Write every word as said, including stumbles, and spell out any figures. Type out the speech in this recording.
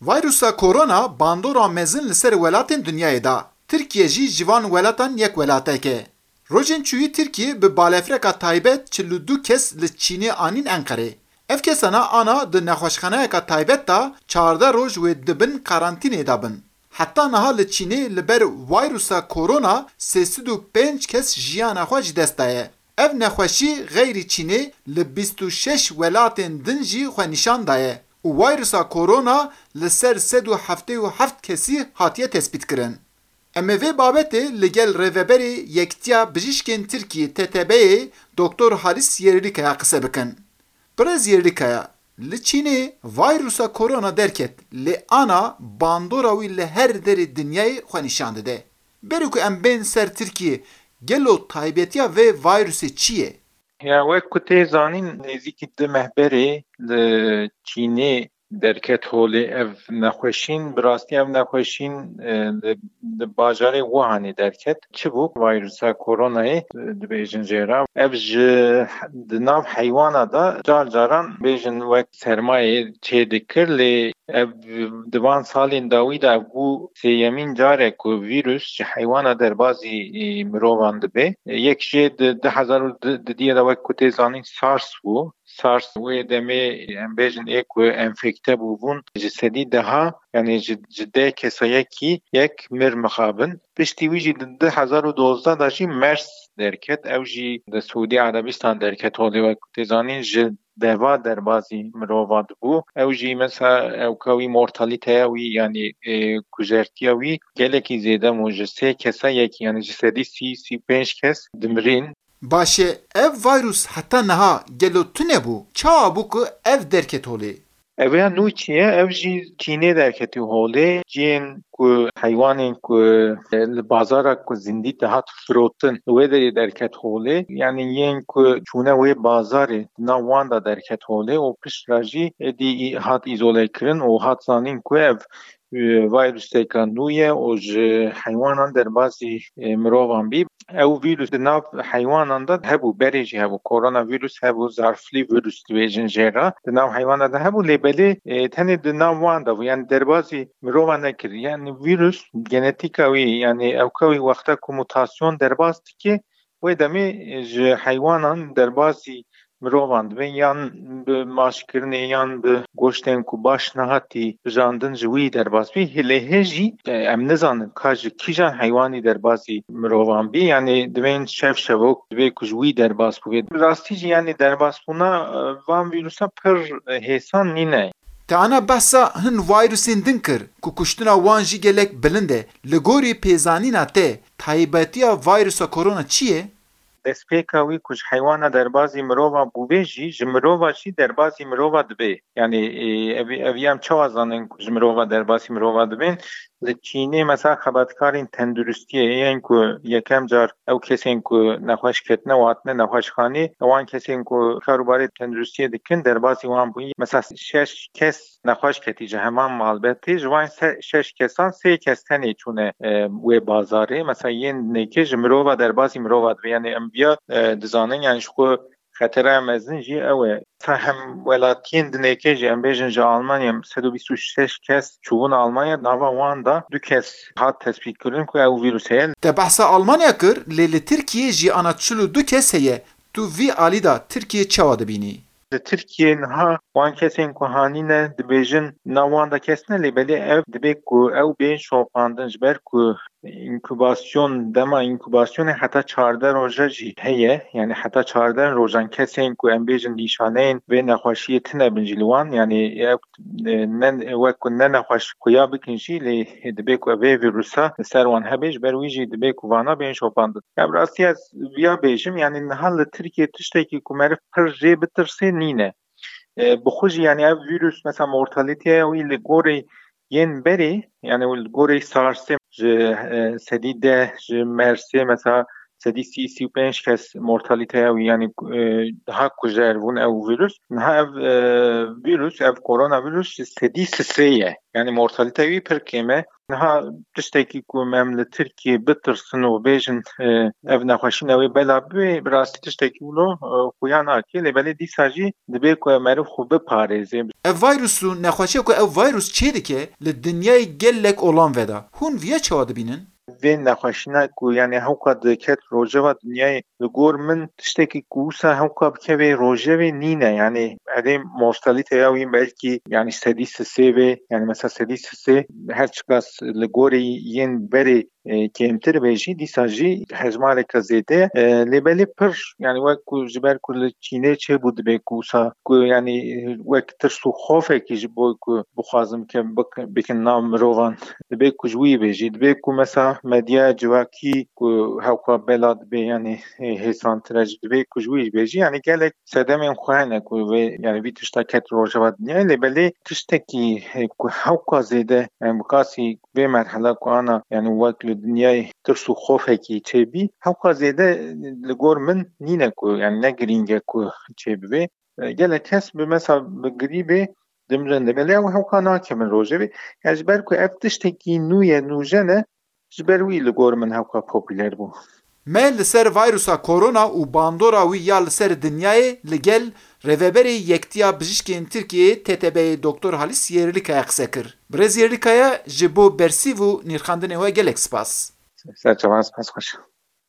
Vayrusa korona bandora mezin li ser welatên dinyayê da. Tirkiye jî ji van welatan yek welatek e. Rojên çûyî Tirkiye bi balefireka taybet çil û du kes li Çînê anîn Enqerê. Ev kesana ana di nexweşxaneyeka taybet de çardeh roj wê di bin karantînê de bin. Heta niha li Çînê li ber vayrusa korona sê sed û pênc kes jiyana xwe ji dest daye. Ev nexweşî xeyrî Çînê li bîst û şeş welatên din jî xwe nîşan daye û vayrusa korona li ser sed û heftê û heft kesî hatiye tespîtkirin. Em ê vê babetê li gel rêveberê Yekitiya Bijîşkên Tirkiyê, T T B'yê, Doktor Halis Yerlikaya qise bikin. Birêz Yerlikaya, li Çînê vayrusa korona derket, lê ana bandora wî li her derê dinyayê xwe nîşan dide. Berî ku em bên ser Tirkiyê, gelo taybetiya vê vayrusê çi ye? Ya wek ku tê zanîn, nêzîkî du meh berê li Çînê derket holê ev nexweşîn. Bi rastî ev nexweşîn, e, li, li bajarê Wuhanê derket. Çi bû? Vayrusa koronayê, e, dibêjin jê re. Ev ji di nav heywana de car caran bêjin wek sermayê çê dikir, lê ev di van salên dawî de ev bû sêyemîn car e ku vîrus ji heywana derbazî, e, mirovan dibe. E, yek jê di du hezar û dudiyê de wek ku tê zanîn SARS bû. SARS wê demê em bêjin ê ku enfekte bûbûn ji sedî deha, yanî ji, ji deh kesa yekî yek mir mixabin. Piştî wî jî di du hezar û dozdeh de jî MERS derket. Ew jî di Siûdî Erebistan derket holê wek ku tê zanîn ji deva derbazî mirova dibû. Ew jî mesela ewka wî mortalîteya wî, yanî, e, kujertiya wî gelekî zêde bû. Ji sê kesa yekî, yanî ji sedî sî, sî û pênc kes dimirîn. Baş e, ev vayrus heta niha gelo tune bû? Çawa bû ku ev derket holê? Ev ya nû çi ye? Ev jî Çînê derketî holê. Cihên ku heywanên ku, e, li bazara ku zindî dihat firotin, li wê derê derket holê. Yanî yên ku çûne wê bazarê, di nav wan de derket holê û pişt re jî êdî î-, hat îzolekirin û hat zanîn ku ev, e, vayruseka nû ye û ji heywanan derbasî, e, mirovan bî. Ew vîrus di nav heywanan de hebû, berê jî hebû. Koronavîrus hebû, zarflî vîrus dibêjin jê re. Di nav heywanan de hebû, lê belê, e, tenê di nav wan de bû. Yanî derbasî mirovan nekir. Yanî vîrus genetîka wî, yanî ewka wî wexta ku mutasyon derbas dike, wê demê, e, ji heywanan derbasî mirovan dibe, yan bi maşkirinê yan bi goştên ku baş nehatî bijandin ji wî derbas bî. Lê hê jî, e, em nizanin ka ji kîjan heywanî derbasî mirovan bî. Yanî divên şev şevok dibe ku ji wî derbas bûbe. Bi rastî jî yanî derbasbûna, e, van vîrusa pir, e, hêsan nîne. Te ana behsa hin vayrusên din kir ku kuştina wan jî gelek bilind e. Li gorî pêzanîna te, taybetiya vayrusa korona çi ye? Destpêka wî ku ji heywana derbazî mirova bûbe jî, ji mirova jî derbazî mirova dibe. Yanî, e, ev, ev em çawa zanin ku ji mirova derbazî mirova dibên? Li Çînê mesela xebatkarên tenduristiyê, yên ku yekem car ew kesên ku nexweş ketine û hatine nexweşxanê, wan kesên ku karûbarê tenduristiyê dikin, derbazî wan bûye. Mesela şeş kes nexweş ketî ji heman malbetê, ji van se-, şeş kesan sê kes tenê çûne, e, wê bazarê. Mesela yên nêkê ji mirova derbasî mirova dibe. Yanî em viya, e, dizanin, yanî ji xwe xeteraya mezin jî ew e. Mesela hem welatiyên dinêkê jî, em bêjin ji Almanya sed û bîst û şeş kes çûbûn Almanya, nava wan de du kes hat tespîtkirin ku ew vîrus heye. Te behsa Almanya kir, lê li Tirkiyê jiyana çil û du kes heye. Tu vî alî de Tirkiye çawa dibînî? Li Tirkiyê niha wan kesên ku hanîne dibêjin nav wan de kes ne, lê belê ev dibe ku ew bên şopandin, ji ber ku inkubasyon, dema inkubasyonê heta çardeh roja jî heye. Yanî heta çardeh rojan kesên ku em bêjin nîşaneyên vê nexweşiyê tine bin jî li wan, yanî ew, e, ne, wek ku ne nexweş xuya bikin jî, lê dibe ku vê vîrusa li ser wan hebe, ji ber wî jî dibe ku vana bên şopandin. Ya bi rastî ez viya bêjim, yanî niha li Tirkiyê tiştekî ku meriv pir jê bitirsê nîne. E, bi xwe jî, yanî ev vîrus, mesela mortalîteya wî li gorî yên berê, yanî li gorî SARSê ji, e, sedî deh, ji MERSê mesela sedî sî, sî û pênc kes mortalîteya wî, yanî, e, daha kujer bûn ew vîrus. Niha ev, e, vîrus, ev koronavîrus sedî sisê ye. Yanî mortalîteya wî pir kêm e. Niha tiştekî ku em li Tirkiyê bitirsin û bêjin, e, ev nexweşî newê bela bibê, bi rastî tiştekî wilo, e, xuya nake. Lê belê dîsa jî dibê ku meriv xwe biparêze. Ev vîrus û nexweşiya ku ev vîrus çê dike li dinyayê gelek olan veda. Hûn viya çawa dibînin? Vê nexweşîna ku, yanî, hewka diket rojeva dinyayê, li gor min tiştekî ku wisa hewka bikeve rojevê nîne. Yanî, erê mortalîteya wî belkî, yanî, sedî sisê vê, yanî, mesela sedî sisê, her çiqas li gorî yên berê, e, kêmtir be jî, dîsa jî hejmareke zêde, e, lê belê pir, yanî, wek ku ji ber ku li Çînê çêbû, dibê ku wisa ku, yanî, wek tirs û xofekî ji bo ku bixwazin ke bik-, bikin nav mirovan, dibê ku ji wî bê jî, dibê ku mesela medya civakî ku hewka bela dibê, yanî, e, hêsantire jî, dibê ku ji wî bê jî, yanî, gelek sedemên xwe hene ku vê, yanî, vî tişta ket rojeva dinyayê, lê belê tiştekî, e, ku hewka zêde, yanî, bi qasî vê merhela ku ana, yanî, wek li dinyayê tirs û xofekî çêbî, hewka zêde li gor min nîne ku, yanî, ne girîng e ku çêbibe. E, gelek kes bi mesela bi girî bê dimrin, lê belê ew hewka nakevin rojevê. Ya ji ber ku ev tiştekî nû ye, nûjen e, ji ber wî li gor min hewka popûler bû. Me li ser vîrusa korona û bandora wî ya li ser dinyayê li gel Rêveberê Yektiya Bijîşkên Tirkiyeyê, T T B'yê, Doktor Halis Yerlikaya qise kir. Birêz Yerlikaya, ji bo bersîv û nirxandinê we gelek spas. Ser çavan, spas xweş.